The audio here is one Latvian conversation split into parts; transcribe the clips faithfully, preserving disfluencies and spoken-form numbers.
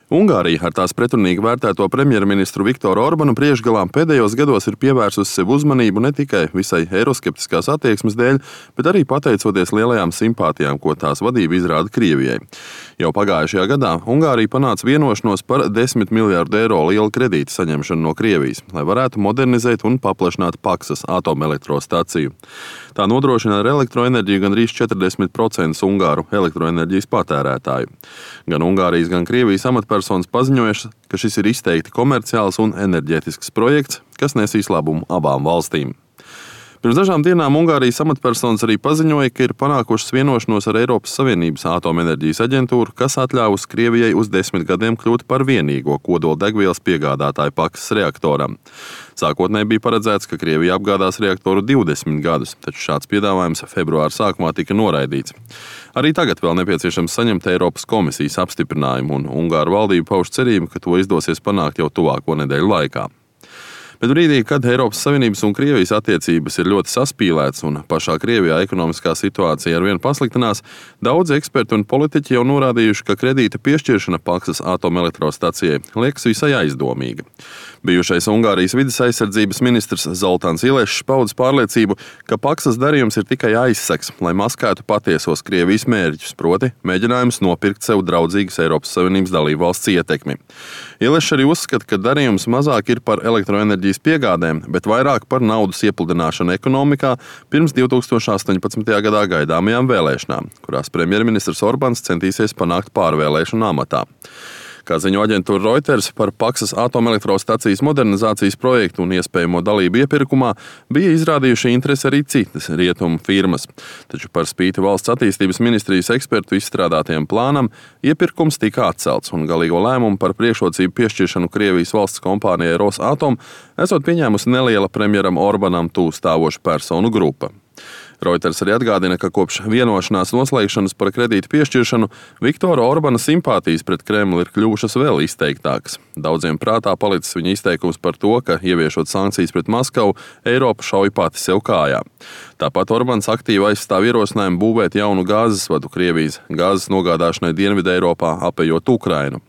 Ungārija ar tās pretrunīgi vērtēto premjerministru Viktoru Orbanu priekšgalā pēdējos gados ir pievērsusi sev uzmanību ne tikai visai eiroskeptiskās attieksmes dēļ, bet arī pateicoties lielajām simpātijām, ko tās vadība izrāda Krievijai. Jau pagājušajā gadā Ungārija panāca vienošanos par desmit miljārdu eiro lielu kredītu saņemšanu no Krievijas, lai varētu modernizēt un paplašināt Paksas atomelektrostaciju. Tā nodrošina ar elektroenerģiju gandrīz četrdesmit procentus Ungāru elektroenerģijas patērētāju. Gan Ungārijas, gan Krievijas amatpersonas paziņojušas, ka šis ir izteikti komerciāls un enerģētisks projekts, kas nesīs labumu abām valstīm. Pirms dažām dienām Ungārijas amatpersonas arī paziņoja, ka ir panākušas vienošanos ar Eiropas Savienības atomenerģijas aģentūru, kas atļāvusi Krievijai uz desmit gadiem kļūt par vienīgo kodoldegvielas piegādātāju Paksas reaktoram. Sākotnēji bija paredzēts, ka Krievija apgādās reaktoru divdesmit gadus, taču šāds piedāvājums februāra sākumā tika noraidīts. Arī tagad vēl nepieciešams saņemt Eiropas komisijas apstiprinājumu, un Ungāru valdība pauž cerību, ka to izdosies panākt jau tuvāko nedēļu laikā. Bet brīdī, kad Eiropas Savienības un Krievijas attiecības ir ļoti saspīlētas un pašā Krievijā ekonomiskā situācija arvien pasliktinās, daudzi eksperti un politiķi jau norādījuši, ka kredīta piešķiršana Paksas atomelektrostacijai liekas visai aizdomīga. Bijušais Ungārijas vides aizsardzības ministrs Zoltāns Ilešs paudis pārliecību, ka Paksas darījums ir tikai aizsegs, lai maskētu patiesos Krievijas mērķus, proti mēģinājums nopirkt sev draudzīgas Eiropas Savienības dalībvalsts ietekmi. Ilešs arī uzskata, ka darījums mazāk ir par elektroenerģijas piegādēm, bet vairāk par naudas iepludināšanu ekonomikā pirms divi tūkstoši astoņpadsmitajā gadā gaidāmajām vēlēšanām, kurās premjerministrs Orbāns centīsies panākt pārvēlēšanu amatā. Kā ziņo aģentūra Reuters, par Paksas atomelektrostacijas modernizācijas projektu un iespējamo dalību iepirkumā bija izrādījuši interesi arī citas rietumu firmas. Taču par spīti valsts attīstības ministrijas ekspertu izstrādātajam plānam, iepirkums tika atcelts un galīgo lēmumu par priekšrocību piešķiršanu Krievijas valsts kompānijai Rosatom esot pieņēmusi neliela premjeram Orbanam tuvu stāvoša personu grupa. Reuters arī atgādina, ka kopš vienošanās noslēgšanas par kredītu piešķiršanu Viktora Orbana simpātijas pret Kremli ir kļuvušas vēl izteiktākas. Daudziem prātā palicis viņa izteikums par to, ka ieviešot sankcijas pret Maskavu, Eiropa šauj pati sev kājā. Tāpat Orbans aktīvi aizstāv ierosinājumu būvēt jaunu gāzes vadu Krievijas gāzes nogādāšanai Dienvidē Eiropā, apejot Ukrainu.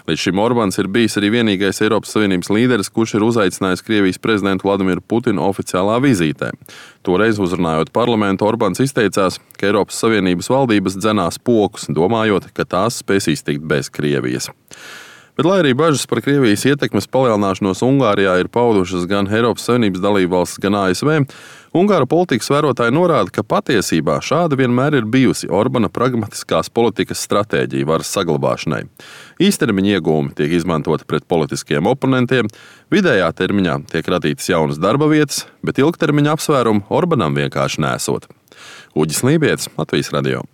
Līdz šim Orbāns ir bijis arī vienīgais Eiropas Savienības līderis, kurš ir uzaicinājis Krievijas prezidentu Vladimiru Putinu oficiālā vizītē. Toreiz uzrunājot parlamentu, Orbāns izteicās, ka Eiropas Savienības valdības dzenās pokus, domājot, ka tās spēs iztikt bez Krievijas. Bet, lai arī bažas par Krievijas ietekmes palielināšanos Ungārijā ir paudušas gan Eiropas Savienības dalībvalstis, gan A S V, Ungāru politikas vērotāji norāda, ka patiesībā šāda vienmēr ir bijusi Orbana pragmatiskās politikas stratēģija varas saglabāšanai. Īstermiņa iegūmi tiek izmantoti pret politiskiem oponentiem, vidējā termiņā tiek radītas jaunas darba vietas, bet ilgtermiņa apsvērumu Orbanam vienkārši nesot. Uģis Lībietis, Latvijas radio.